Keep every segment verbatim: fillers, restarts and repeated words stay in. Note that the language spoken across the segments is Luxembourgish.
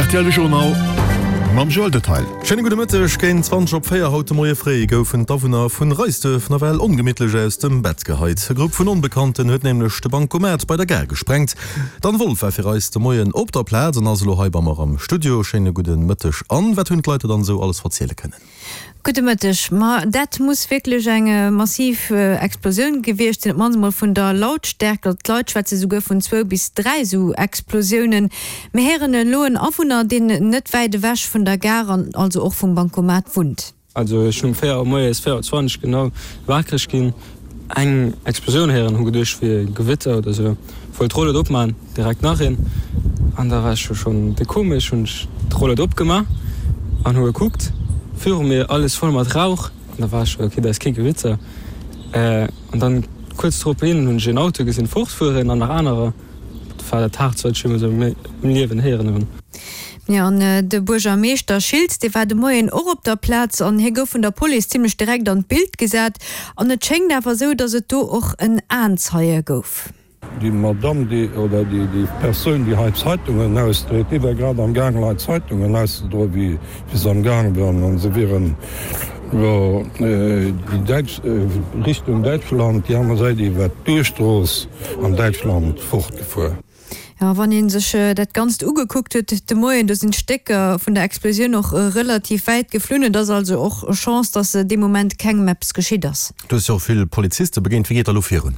Rtl de Journal mam Joël Detail. Schéine gudde Mëtteg. Géint zwanzeg op véier haut de Moie fréi goufen d'Awunner vun Reisduerf nawell ongemittlech aus dem Bett geheit. E Grupp vun Onbekannten huet nämlech de Bancomat bei der Gare gesprengt. D'Anne Wolff war fir eis de Moien op der Plaz an ass elo hei bei mer am Studio. Schéine gudde Mëtteg Anne. Wat hunn d'Leit der dann esou alles verziele kënnen? Gudde Mëtteg. Ma dat muss wierklech eng massiv Explosioun gewiescht sinn, op d'mannst emol vun der Lautstärkt. Also d'Leit schwätze souguer vun zwou bis dräi esou Explosiounen. Mir héieren elo en Awunner, deen net wäit ewech vun der Gare an also och vum Bancomat wunnt. Also ech hunn um véier Auer moies, véier Auer zwanzeg genau, wakereg ginn, eng Explosioun héieren, hu geduecht wier Gewitter oder sou, wollt d'Rollued opman, direkt nach een an da war ech jo schonn de komesch, hunn ech d'Rollued opgema an hu gekuckt, viru mir alles voll mat Rauch an da war ech jo ok, dat ass kee Gewitter. An dann kuerz drop hin hunn ech een Auto gesinn fortfueren an nach anerer, dat war dat haartst wat ech jeemools a mengem Liewen héieren hunn. Jo, an de Buergermeeschter Schiltz, dee war de Moien och op der Plaz an hie gouf vun der Police zimmlech direkt an d'Bild gesat. An et schéngt awer esou, datt et do och en Aenzeie gouf. Déi Madamm, déi, oder déi, déi Persoun, déi hei d'Zeitungen ausdréit, déi war grad am Gaang, lei Zeitungen auszedroen, wéi, wéi se am Gaang waren. An se wieren iwwer déi däitsch, Richtung Däitschland, déi aner Säit iwwer d'Duerchstrooss an Däitschland fortgefuer. Jo, wann ee sech dat Ganzt ugekuckt huet de Moien, do sinn d'Stécker vun der Explosioun och relativ wäit geflunn. Et ass also och Chance, datt dee Moment kengem eppes geschitt ass. Du hues jo och vill Poliziste begéint. Wéi geet da lo virun?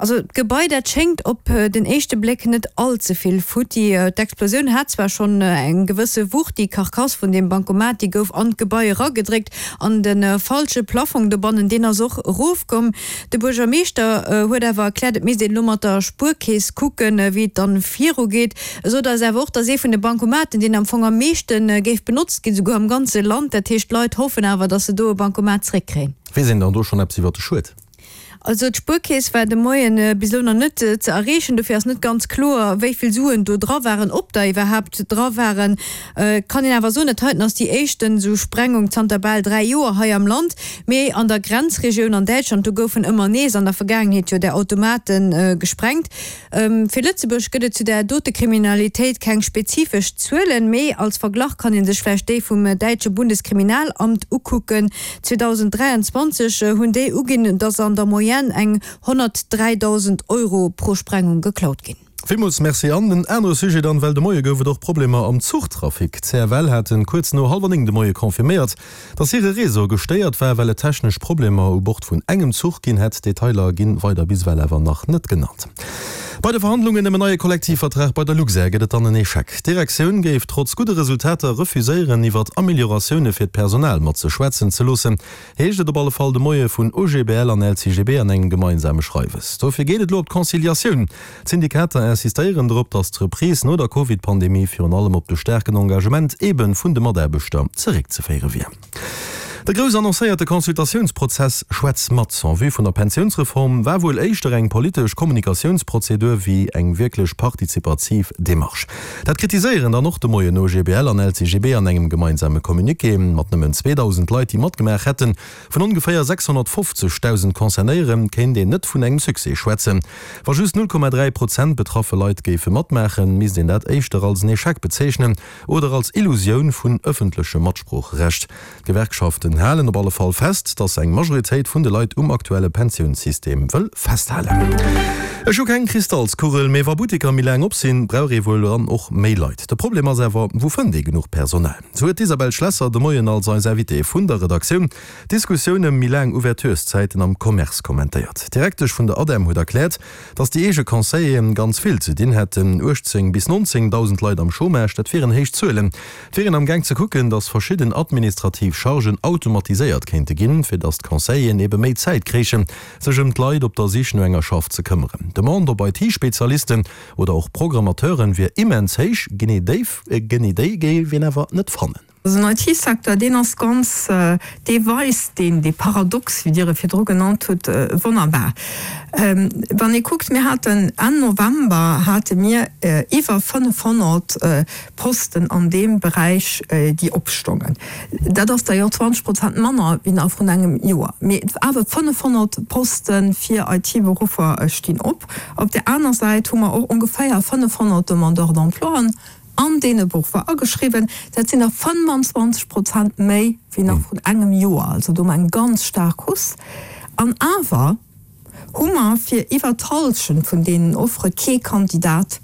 Also d'Gebai, dat schéngt op den éischte Bléck net all ze vill futti. D'Explosioun hat zwar schonn eng gewësse Wucht, déi Karkass vun deem Bancomat, déi gouf an d'Gebai eragedréckt an de falsche Plaffong dobannen, deen ass och erofkomm. De Buergermeeschter huet awer erkläert, et misst een elo mat der Spuerkeess kucken, wéi et dann viru geet. E sot eis awer och, datt ee vun de Bancomaten, deen am Fong am meeschte géif benotzt ginn, souguer am ganze Land. Dat heescht, d'Leit hoffen awer, datt se do e Bancomat zeréckkréien. Weess een dann do schonn eppes iwwer de Schued? Also d'Spuerkeess war de Moien bis elo nach net ze erreechen. Dofir ass net ganz kloer, wéi vill Suen do dra waren, ob der iwwerhaapt dra waren. Et kann een awer soen, dat heiten ass déi éischten esou Sprengung zanter bal dräi Joer hei am Land. Mee an der Grenzregioun an Däitschland, do goufen ëmmer nees an der Vergaangenheet jo där Automate gesprengt. Fir Lëtzebuerg gëtt et zu där dote Kriminalitéit keng spezifesch Zuelen, mee als Verglach kann ee sech vläicht déi vum däitsche Bundeskriminalamt ukucken. zweedausenddräianzwanzeg hunn déi uginn, datt an der Moyenne eng honnertdräidausend Euro pro Sprengung geklaut ginn. Villmools Merci. An en anere Sujet dann, well de Moie gouf et och Problemer am Zuchtrafic. D'CFL haten kuerz no hallwer néng de Moie confirméiert, dass hire Réseau gestéiert war, well et technesch Problemer u Bord vun engem Zuch ginn hätt. Detailer ginn weider bis ewell awer nach net genannt. Bei de Verhandlungen ëm en neie Kollektivvertrag bei der Luxair gëtt et dann en Echec. D'Direktioun géif trotz gudde Resultater refuséieren, iwwert Amelioratioune fir d'Personal mat sech schwätzen ze loossen, heescht et op alle Fall de Moie vun O G B L an L C G B an engem gemeinsame Schreiwes. Dofir geet et elo op d'Conciliatioun. D'Syndikater insistéieren drop, datt d'Reprise no der Covid-Pandemie virun allem op de staarken Engagement ebe vun de Mataarbechter zeréckzeféiere wier. De grouss annoncéierte Consultatiounsprozess Schwätz mat en vue vun der Pensiounsreform war wuel éischter eng politesch Kommunikatiounsprozedur wéi eng wierklech partizipativ Demarche. Dat kritiséieren dann och de Moien O G B L an L C G B an engem gemeinsame Communiqué. Mat nëmmen zweedausend Leit, déi matgemaach hätten, vun ongeféier sechshonnertfofzegdausend Concernéiere kéint een net vun engem Succès schwätzen. Wa just null Komma dräi Prozent betraffe Leit géife matmaachen, misst een dat éischter als en Echec bezeechnen oder als Illusioun vun ëffentlechem Matsproocherecht. D'Gewerkschaften halen op alle Fall fest, datt eng Majoritéit vun de Leit um aktuelle Pensiounssystem wëll festhalen. Ech hu keng Kristallskugel, mee wa Butteker méi laang op sinn, brauch ee wuel dann och méi Leit. De Problem ass awer, wou fënnt ee genuch Personal? Sou huet d'Isabelle Schlesser de Moien als eis Invitée vun der Redaktioun d'Diskussioun ëm méi laang Ouvertureszäiten am Commerce kommentéiert. D'Direktesch vun der ADEM huet erkläert, datt déi eege Conseilleren ganz vill ze dinn hätten. uechtzéng bis nonzéngdausend Leit am Chômage, dat wieren héich Zuelen. Et wier een am Gaang ze kucken, datt verschidden administrativ Chargen automatiséiert kéinte ginn, fir datt d'Conseilleren ebe méi Zäit kréichen, sech ëm d'Leit op der Sich no enger Schaff ze këmmeren. D'Demande op I T-Spezialisten oder och Programmateuren wier immens héich, genee déi genee déi géif een awer net fannen. Den I T-Secteur, deen ass ganz, dee weist deen, dee Paradox, wéi Dir e virdru genannt hutt, wonnerbar. Wann ee kuckt, mir haten Enn November hate mir iwwer fënnefhonnert Posten an deem Beräich, déi opstongen. Dat ass der jo zwanzeg Prozent manner wéi nach vrun engem Joer. Mee awer fënnefhonnert Poste fir I T-Beruffer stinn op. Op där aner Säit hu mer och ongeféier fënnefhonnert Demandeurs d'emploien. an deene Beruffer ageschriwwen. Dat sinn der fënnefanzwanzeg Prozent méi wéi nach vrun engem Joer. Also do hu mer eng ganz staark Hausse. An awer hu mer fir iwwer d'Hallschent vun deenen Offere kee Kandidat,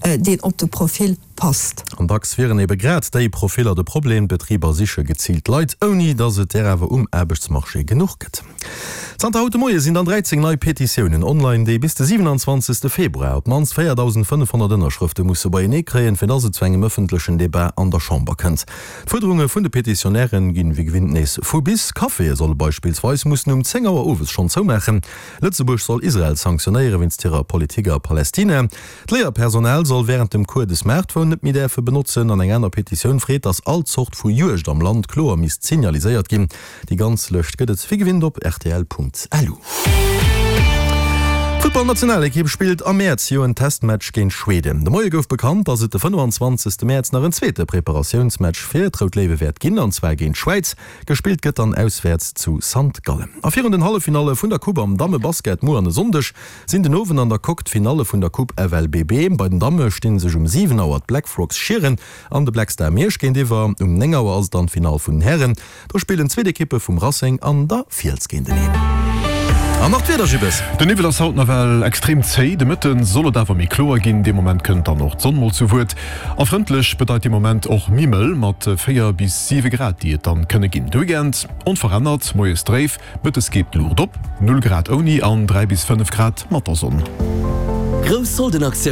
deen op de Profil passt. An dacks wieren ebe grad déi Profiller de Problem, D'Betriber siche geziilt Leit, ouni datt et där awer um Aarbechtsmarché genuch gëtt. Zanter haut de Moie sinn dann dräizéng nei Petitiounen online, déi bis de siwenanzwanzegste Februar op d'mannst véierdausendfënnefhonnert Ënnerschrëfte musse beienee kréien, fir datt et zu engem ëffentlechen Debat an der Chamber kënnt. D'Fuerderunge vun de Petitionäre ginn wéi gewinnt nees vu bis. Caféë solle beispillsweis mussen um zéng Auer owes schonn zoumaachen. Lëtzebuerg soll Israel sanktionéiere wéinst hirer Politik a Palestina. D'Léierpersonal soll wärend dem Cours de Smartphone net méi däerfe benotzen. An eng aner Petitioun freet, datt all Zort vu Juegd am Land kloer misst signaliséiert ginn. Déi ganz Lëscht gëtt et wéi gewinnt op rtl.lu. D'Futtballnationalekipp spillt am Mäerz jo en Testmatch géint Schweden. De Moie gouf bekannt, datt et de fënnefanzwanzegste Mäerz nach en zweete Preparatiounsmatch fir d'Rout Léiwe wäert ginn, an zwar géint d'Schwäiz. Gespillt gëtt dann auswäerts zu Sankt Gallen. A virun den Halleffinalle vun der Coupe am Dammebasket muer an e Sonndeg sinn den Owend an der Coque d'Finalle vun der Coupe F L B B. Bei den Damme sti sech um siwen Auer d'Black Frogs Schieren an de Black Star Miersch géintiwwer. Um néng Auer ass et dann d'Finall vun den Hären. Do spillen zweet Ekippe vum Racing an der Fiels géinteneen. An nach d'Wieder, Jibbes. Den Niwwel ass haut nawell extrem zéi, de Mëtte soll et awer méi kloer ginn. Dee Moment kënnt dann och d'Sonn mol zu Wuert. A frëndlech bedeit dee Moment och méi mëll, mat véier bis siwe Grad, déi et dann kënne ginn. De Weekend onverännert, moies dréif, mëttes geet d'Luucht op, null Grad ouni an dräi bis fënnef Grad mat der Sonn. Grouss Soldenaktioun!